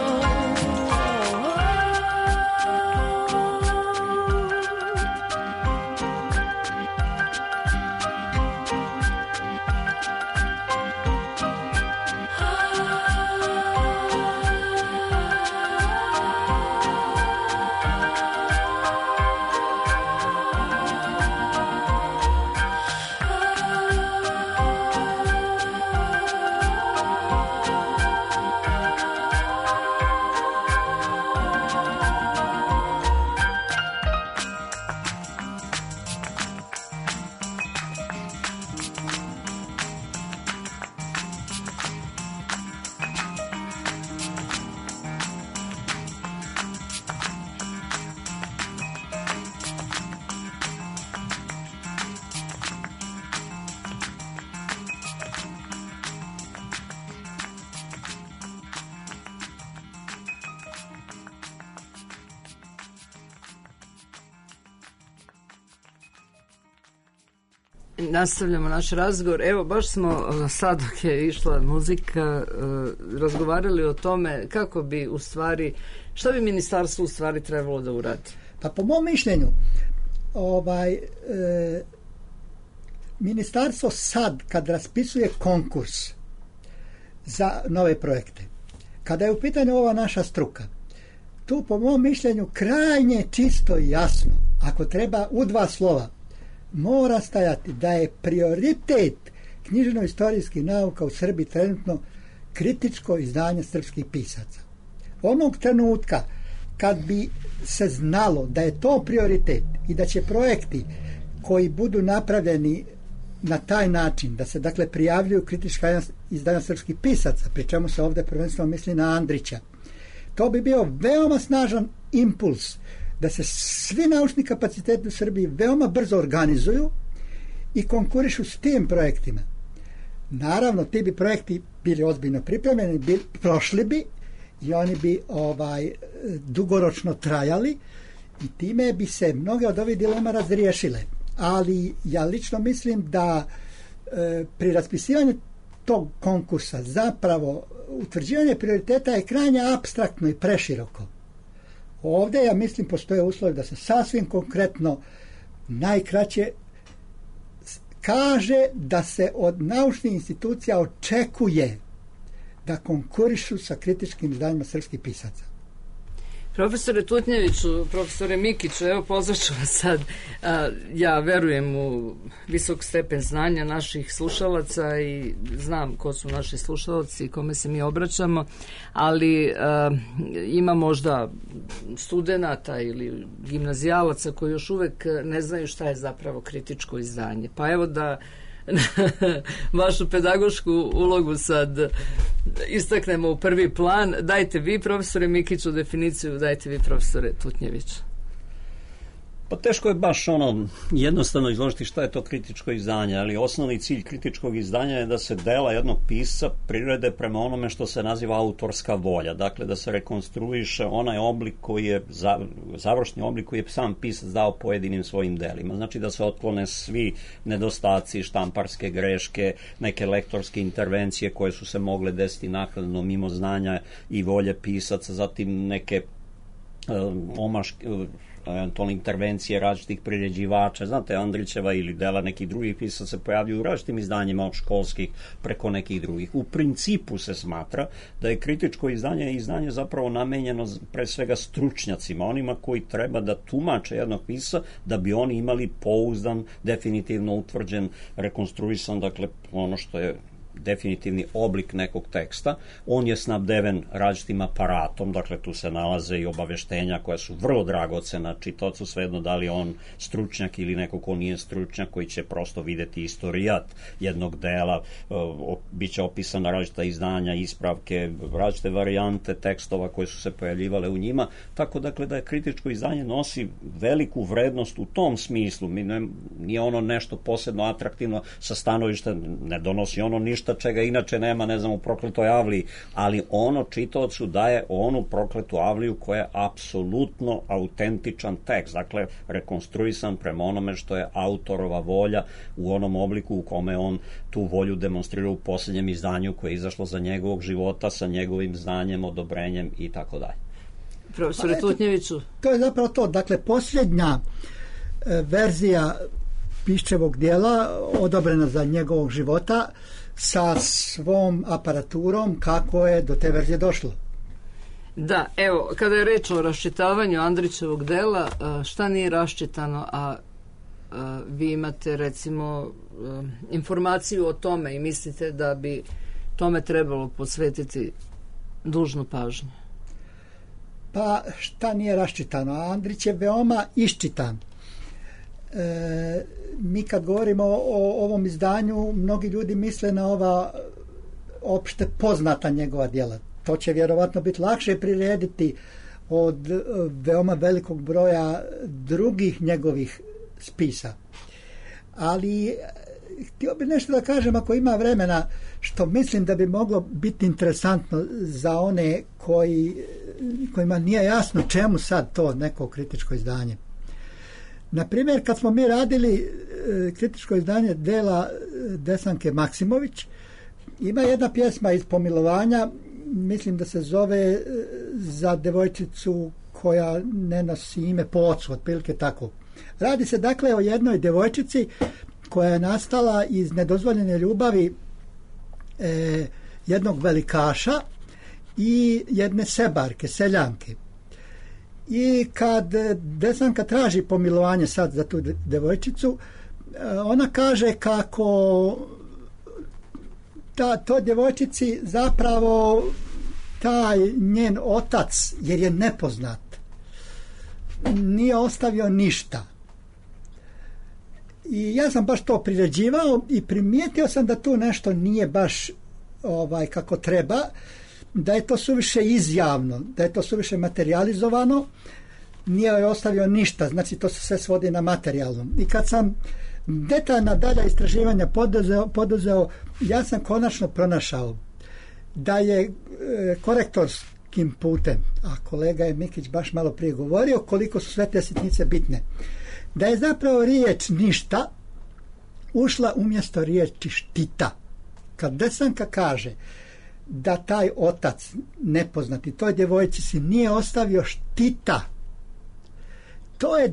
Nastavljamo naš razgovor. Evo, baš smo sad dok je išla muzika razgovarali o tome kako bi u stvari, šta bi ministarstvo u stvari trebalo da uradi? Pa po mom mišljenju ministarstvo sad kad raspisuje konkurs za nove projekte, kada je u pitanju ova naša struka, tu po mom mišljenju krajnje čisto i jasno, ako treba u 2 slova, mora stajati da je prioritet književno-istorijskih nauka u Srbiji trenutno kritičko izdanje srpskih pisaca. Onog trenutka kad bi se znalo da je to prioritet i da će projekti koji budu napravljeni na taj način, da se dakle prijavljuju kritička izdanja srpskih pisaca, pri čemu se ovdje prvenstveno misli na Andrića, to bi bio veoma snažan impuls da se svi naučni kapaciteti u Srbiji veoma brzo organizuju i konkurišu s tim projektima. Naravno, ti bi projekti bili ozbiljno pripremljeni, prošli bi i oni bi dugoročno trajali i time bi se mnoge od ovih dilema razriješile. Ali ja lično mislim da pri raspisivanju tog konkursa zapravo utvrđivanje prioriteta je krajnje apstraktno i preširoko. Ovdje, ja mislim, postoje uslovi da se sasvim konkretno najkraće kaže da se od naučnih institucija očekuje da konkurišu sa kritičkim izdanjima srpskih pisaca. Profesore Tutnjeviću, profesore Mikiću, evo pozvaću vas sad. Ja verujem u visok stepen znanja naših slušalaca i znam ko su naši slušalci i kome se mi obraćamo, ali ima možda studenata ili gimnazijalaca koji još uvek ne znaju šta je zapravo kritičko izdanje. Pa evo da vašu pedagošku ulogu sad istaknemo u prvi plan. Dajte vi, profesore Mikiću, definiciju, dajte vi, profesore Tutnjević. Pa teško je baš jednostavno izložiti šta je to kritičko izdanje, ali osnovni cilj kritičkog izdanja je da se dela jednog pisca prirede prema onome što se naziva autorska volja. Dakle, da se rekonstruiše onaj oblik koji je, završni oblik koji je sam pisac dao pojedinim svojim delima. Znači da se otklone svi nedostaci, štamparske greške, neke lektorske intervencije koje su se mogle desiti naknadno mimo znanja i volje pisaca, zatim neke omaške, eventualne intervencije različitih priređivača. Znate, Andrićeva ili dela nekih drugih pisaca se pojavljuju u različitim izdanjima od školskih preko nekih drugih. U principu se smatra da je kritičko izdanje zapravo namenjeno pre svega stručnjacima, onima koji treba da tumače jednog pisca da bi oni imali pouzdan, definitivno utvrđen, rekonstruisan, dakle ono što je definitivni oblik nekog teksta. On je snabdeven različitim aparatom, dakle tu se nalaze i obaveštenja koja su vrlo dragocena čitaocu, svejedno da li on stručnjak ili neko ko nije stručnjak, koji će prosto videti istorijat jednog dela, biće opisana različita izdanja, ispravke, različite varijante tekstova koje su se pojavljivale u njima, tako dakle da je kritičko izdanje nosi veliku vrednost u tom smislu. Nije ono nešto posebno atraktivno sa stanovišta, ne donosi ono ništa čega inače nema, ne znam, u Prokletoj Avliji, ali ono čitaocu daje onu Prokletu Avliju koja je apsolutno autentičan tekst, dakle rekonstruisan prema onome što je autorova volja u onom obliku u kome on tu volju demonstrira u posljednjem izdanju koje je izašlo za njegovog života sa njegovim znanjem, odobrenjem i tako dalje. Profesore Tutnjeviću. To je zapravo to. Dakle, posljednja verzija Piščevog dijela odobrena za njegovog života sa svom aparaturom, kako je do te verzije došlo. Da, evo, kada je reč o raščitavanju Andrićevog dela, šta nije raščitano, a vi imate recimo informaciju o tome i mislite da bi tome trebalo posvetiti dužnu pažnju? Pa šta nije raščitano? Andrić je veoma iščitan. Mi kad govorimo o ovom izdanju, mnogi ljudi misle na ova opšte poznata njegova djela. To će vjerovatno biti lakše prirediti od veoma velikog broja drugih njegovih spisa. Ali htio bih nešto da kažem, ako ima vremena, što mislim da bi moglo biti interesantno za one kojima nije jasno čemu sad to neko kritičko izdanje. Na primjer, kad smo mi radili kritičko izdanje dela Desanke Maksimović, ima jedna pjesma iz Pomilovanja, mislim da se zove Za devojčicu koja ne nosi ime po ocu, otprilike tako. Radi se dakle o jednoj devojčici koja je nastala iz nedozvoljene ljubavi jednog velikaša i jedne sebarke, seljanke. I kad Desanka traži pomilovanje sad za tu devojčicu, ona kaže kako to djevojčici zapravo taj njen otac, jer je nepoznat, nije ostavio ništa. I ja sam baš to priređivao i primijetio sam da tu nešto nije baš kako treba, da je to suviše izjavno, da je to suviše materializovano, nije joj ostavio ništa, znači to se sve svodi na materijalno. I kad sam detaljna dalja istraživanja poduzeo, ja sam konačno pronašao da je korektorskim putem, a kolega je Mikić baš malo prije govorio koliko su sve te sitnice bitne, da je zapravo riječ ništa ušla umjesto riječi štita. Kad Desanka kaže da taj otac nepoznati toj djevojci si nije ostavio štita, to je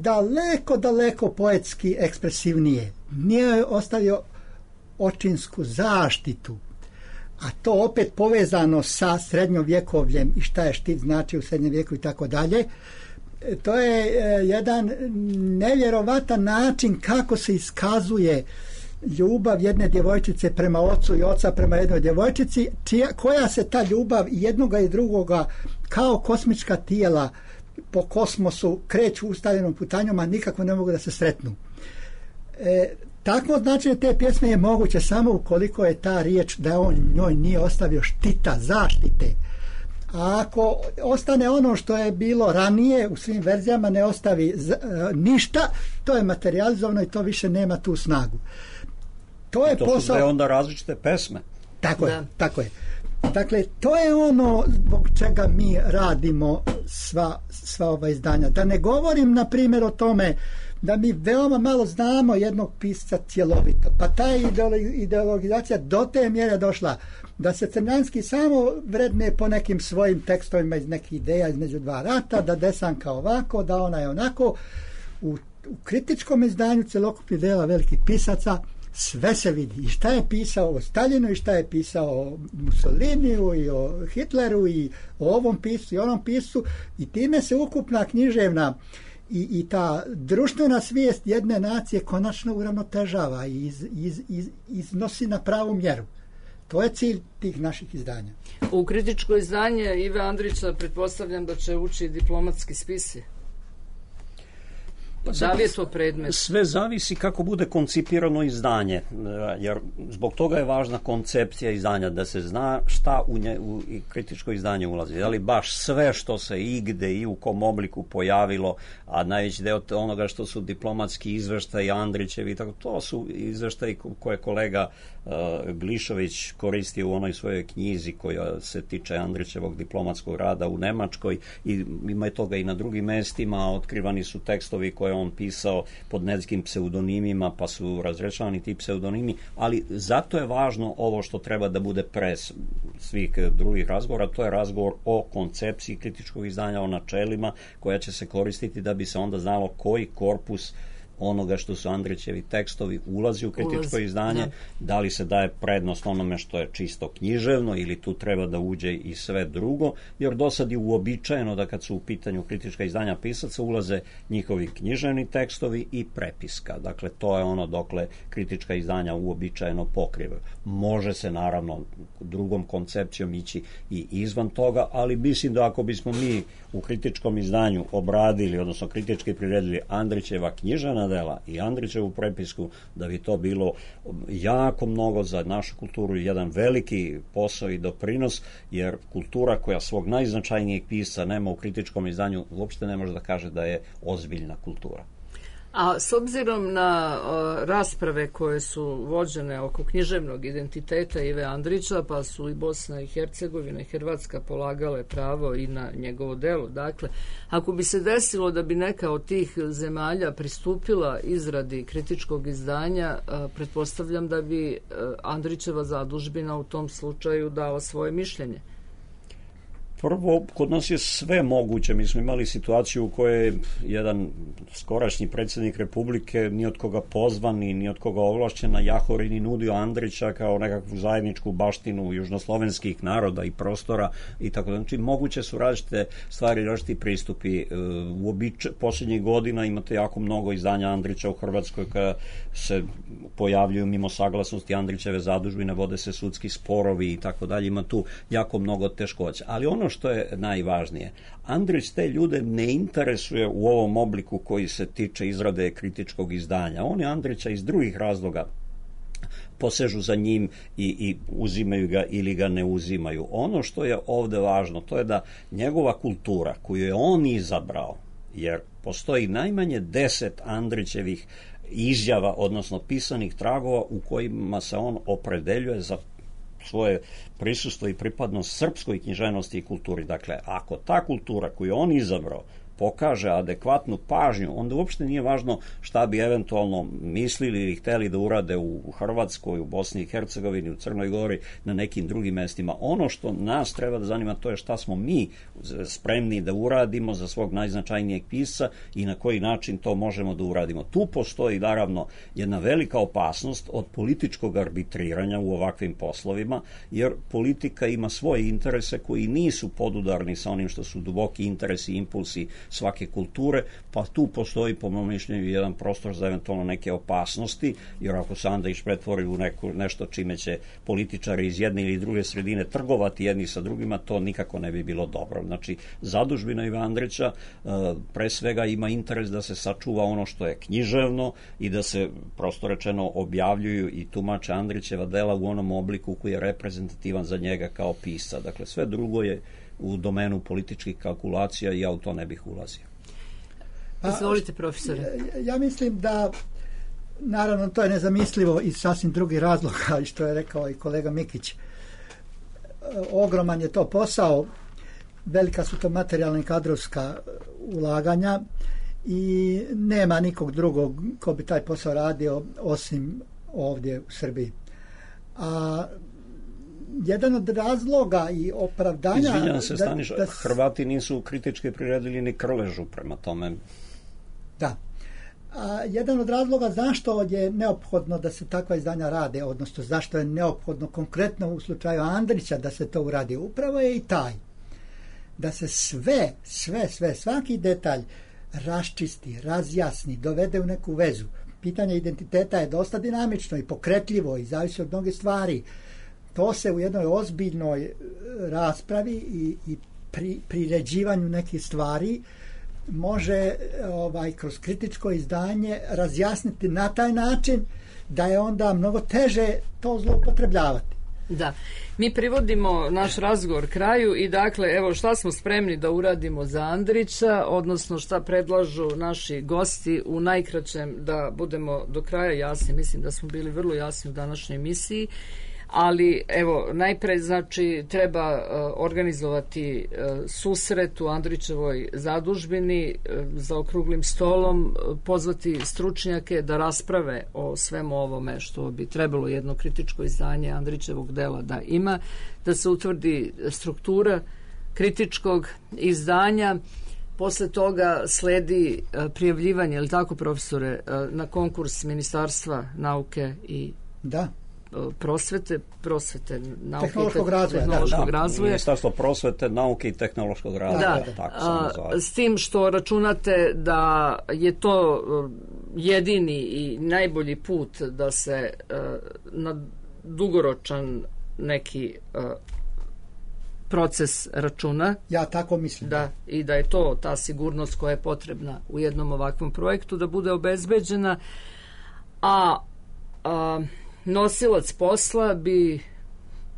daleko poetski ekspresivnije. Nije ostavio očinsku zaštitu, a to opet povezano sa srednjovjekovljem i šta je štit znači u srednjem vijeku i tako dalje. To je jedan nevjerovatan način kako se iskazuje ljubav jedne djevojčice prema ocu i oca prema jednoj djevojčici, koja se ta ljubav jednoga i drugoga kao kosmička tijela po kosmosu kreću ustaljenom putanjom, a nikako ne mogu da se sretnu. Takvo značenje te pjesme je moguće samo ukoliko je ta riječ da on njoj nije ostavio štita, zaštite. A ako ostane ono što je bilo ranije u svim verzijama, ne ostavi ništa, to je materializovano i to više nema tu snagu. To je posao. Su sve onda različite pesme. Tako je. Dakle, to je ono zbog čega mi radimo sva ova izdanja. Da ne govorim, na primjer, o tome da mi veoma malo znamo jednog pisca cjelovito. Pa ta ideologizacija do te mjere došla da se Crnjanski samo vredne po nekim svojim tekstovima iz nekih ideja između dva rata, da Desanka ovako, da ona je onako. U kritičkom izdanju cjelokupnih dela velikih pisaca sve se vidi. I šta je pisao o Staljinu, i šta je pisao o Mussoliniju, i o Hitleru, i o ovom piscu, i onom piscu. I time se ukupna književna i ta društvena svijest jedne nacije konačno uravnotežava i iznosi na pravu mjeru. To je cilj tih naših izdanja. U kritičko izdanje Ive Andrića pretpostavljam da će ući diplomatski spisi. Da li je to predmet? Sve zavisi kako bude koncipirano izdanje, jer zbog toga je važna koncepcija izdanja, da se zna šta u kritičko izdanje ulazi. Ali baš sve što se igde i u kom obliku pojavilo, a najveći deo onoga što su diplomatski izveštaji Andrićevi, to su izveštaji koje kolega Glišović koristi u onoj svojoj knjizi koja se tiče Andrićevog diplomatskog rada u Nemačkoj, i ima je toga i na drugim mestima. Otkrivani su tekstovi koje on pisao pod nekim pseudonimima, pa su razrešavani ti pseudonimi, ali zato je važno ovo što treba da bude pre svih drugih razgovora, to je razgovor o koncepciji kritičkog izdanja, o načelima koja će se koristiti da bi se onda znalo koji korpus onoga što su Andrićevi tekstovi ulazi u kritičko izdanje, da li se daje prednost onome što je čisto književno ili tu treba da uđe i sve drugo, jer do sad je uobičajeno da kad su u pitanju kritička izdanja pisaca ulaze njihovi književni tekstovi i prepiska. Dakle, to je ono dokle kritička izdanja uobičajeno pokrivaju. Može se naravno drugom koncepcijom ići i izvan toga, ali mislim da ako bismo mi u kritičkom izdanju obradili, odnosno kritički priredili Andrićeva književna dela i Andrićevu prepisku, da bi to bilo jako mnogo za našu kulturu, jedan veliki posao i doprinos, jer kultura koja svog najznačajnijeg pisca nema u kritičkom izdanju uopšte ne može da kaže da je ozbiljna kultura. A s obzirom na rasprave koje su vođene oko književnog identiteta Ive Andrića, pa su i Bosna i Hercegovina i Hrvatska polagale pravo i na njegovo delo. Dakle, ako bi se desilo da bi neka od tih zemalja pristupila izradi kritičkog izdanja, pretpostavljam da bi Andrićeva zadužbina u tom slučaju dala svoje mišljenje. Prvo, kod nas je sve moguće. Mi smo imali situaciju u kojoj jedan skorašnji predsjednik Republike ni od koga pozvan, ni od koga ovlašćen na Jahorini nudio Andrića kao nekakvu zajedničku baštinu južnoslovenskih naroda i prostora i tako da. Znači, moguće su različite stvari, različiti pristupi. U posljednjih godina imate jako mnogo izdanja Andrića u Hrvatskoj koja se pojavljuju mimo saglasnosti Andrićeve zadužbine, vode se sudski sporovi i tako dalje. Ima tu jako mnogo teškoća. Ali ono što je najvažnije, Andrić te ljude ne interesuje u ovom obliku koji se tiče izrade kritičkog izdanja. Oni Andrića iz drugih razloga posežu za njim i uzimaju ga ili ga ne uzimaju. Ono što je ovde važno, to je da njegova kultura koju je on izabrao, jer postoji najmanje 10 Andrićevih izjava, odnosno pisanih tragova u kojima se on opredeljuje za svoje prisustvo i pripadnost srpskoj književnosti i kulturi. Dakle, ako ta kultura koju on izabrao pokaže adekvatnu pažnju, onda uopšte nije važno šta bi eventualno mislili ili hteli da urade u Hrvatskoj, u Bosni i Hercegovini, u Crnoj Gori, na nekim drugim mestima. Ono što nas treba da zanima, to je šta smo mi spremni da uradimo za svog najznačajnijeg pisca i na koji način to možemo da uradimo. Tu postoji naravno jedna velika opasnost od političkog arbitriranja u ovakvim poslovima, jer politika ima svoje interese koji nisu podudarni sa onim što su duboki interesi i impulsi svake kulture, pa tu postoji po mom mišljenju jedan prostor za eventualno neke opasnosti, jer ako se Andrić pretvori u nešto čime će političari iz jedne ili druge sredine trgovati jedni sa drugima, to nikako ne bi bilo dobro. Znači, zadužbina Ive Andrića pre svega ima interes da se sačuva ono što je književno i da se, prosto rečeno, objavljuju i tumače Andrićeva dela u onom obliku koji je reprezentativan za njega kao pisca. Dakle, sve drugo je u domenu političkih kalkulacija i ja u to ne bih ulazio. Izvolite, profesore. Ja mislim da, naravno, to je nezamislivo iz sasvim drugih razloga, što je rekao i kolega Mikić. Ogroman je to posao, velika su to materijalna i kadrovska ulaganja i nema nikog drugog ko bi taj posao radio osim ovdje u Srbiji. A jedan od razloga i opravdanja... Izvinjam se, Staniš, Hrvati nisu kritički priredili ni Krležu prema tome. Da. A jedan od razloga zašto je neophodno da se takva izdanja rade, odnosno zašto je neophodno konkretno u slučaju Andrića da se to uradi, upravo je i taj. Da se svaki detalj raščisti, razjasni, dovede u neku vezu. Pitanje identiteta je dosta dinamično i pokretljivo i zavisi od mnoge stvari. to se u jednoj ozbiljnoj raspravi i priređivanju nekih stvari može kroz kritičko izdanje razjasniti na taj način da je onda mnogo teže to zloupotrebljavati. Da, mi privodimo naš razgovor kraju i dakle, evo šta smo spremni da uradimo za Andrića, odnosno šta predlažu naši gosti u najkraćem, da budemo do kraja jasni. Mislim da smo bili vrlo jasni u današnjoj emisiji, ali evo, najpre znači treba organizovati susret u Andrićevoj zadužbini za okruglim stolom, pozvati stručnjake da rasprave o svemu ovome što bi trebalo jedno kritičko izdanje Andrićevog dela da ima, da se utvrdi struktura kritičkog izdanja. Posle toga sledi prijavljivanje, je li tako, profesore, na konkurs Ministarstva nauke i prosvete, nauke tehnološkog razvoja. Ministarstvo prosvete, nauke i tehnološkog razvoja. S tim što računate da je to jedini i najbolji put da se na dugoročan neki proces računa. Ja tako mislim. Da, i da je to ta sigurnost koja je potrebna u jednom ovakvom projektu da bude obezbeđena, a nosilac posla bi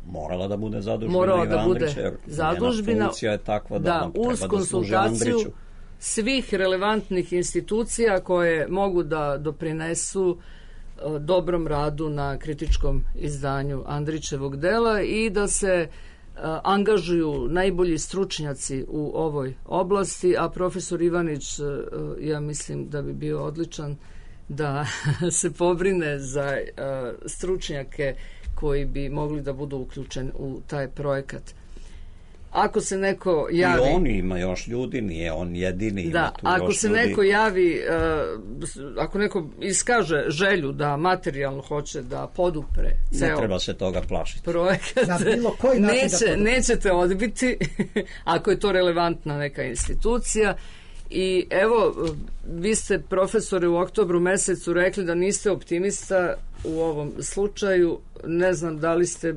morala da bude zadužbina, funkcija je takva da uz konsultaciju svih relevantnih institucija koje mogu da doprinesu dobrom radu na kritičkom izdanju Andrićevog dela i da se angažuju najbolji stručnjaci u ovoj oblasti, a profesor Ivanić, ja mislim da bi bio odličan da se pobrine za stručnjake koji bi mogli da budu uključeni u taj projekat. Ako se neko javi... I on ima još ljudi, nije on jedini. Da, ako se neko javi, ako neko iskaže želju da materijalno hoće da podupre ceo... Ne treba se toga plašiti. ...projekat, nećete odbiti ako je to relevantna neka institucija. I evo, vi ste, profesore, u oktobru mesecu rekli da niste optimista u ovom slučaju. Ne znam da li ste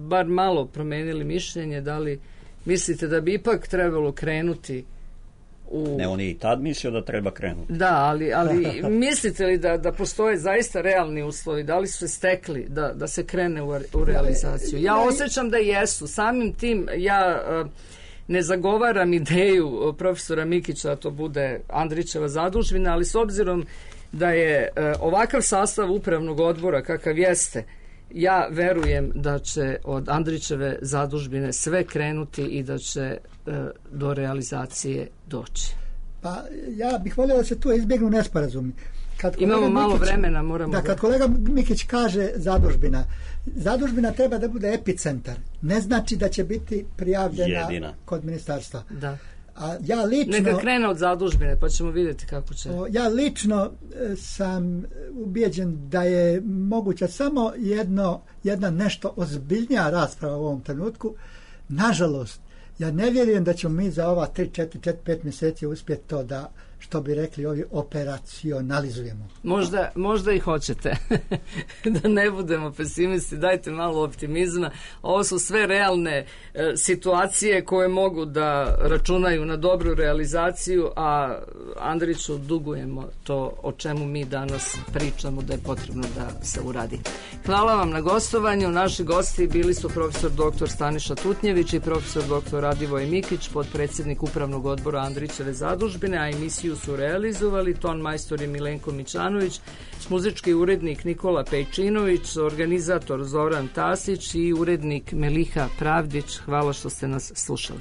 bar malo promenili mišljenje, da li mislite da bi ipak trebalo krenuti u... Ne, on je i tad mislio da treba krenuti. Da, ali mislite li da postoje zaista realni uslovi, da li su se stekli da se krene u realizaciju? Ja osjećam da jesu. Samim tim ja... ne zagovaram ideju profesora Mikića da to bude Andrićeva zadužbina, ali s obzirom da je ovakav sastav upravnog odbora kakav jeste, ja verujem da će od Andrićeve zadužbine sve krenuti i da će do realizacije doći. Pa ja bih volio da se tu izbjegnu nesporazumi. Imamo malo vremena, moramo... Da, kad kolega Mikić kaže zadužbina treba da bude epicentar. Ne znači da će biti prijavljena kod ministarstva. Da. A ja lično... Neka krene od zadužbine, pa ćemo vidjeti kako će... Ja lično sam ubijeđen da je moguća samo jedna nešto ozbiljnija rasprava u ovom trenutku. Nažalost, ja ne vjerujem da ćemo mi za ova 3-4-5 mjeseci uspjeti to da, što bi rekli ovi, operacionalizujemo. Možda i hoćete. Da ne budemo pesimisti, dajte malo optimizma. Ovo su sve realne situacije koje mogu da računaju na dobru realizaciju, a Andriću dugujemo to o čemu mi danas pričamo da je potrebno da se uradi. Hvala vam na gostovanju. Naši gosti bili su profesor dr. Staniša Tutnjević i profesor dr. Radivoj Mikić, potpredsjednik upravnog odbora Andrićeve zadužbine, a emisiju su realizovali ton majstor je Milenko Mićanović, muzički urednik Nikola Pejčinović, organizator Zoran Tasić i urednik Meliha Pravdić. Hvala što ste nas slušali.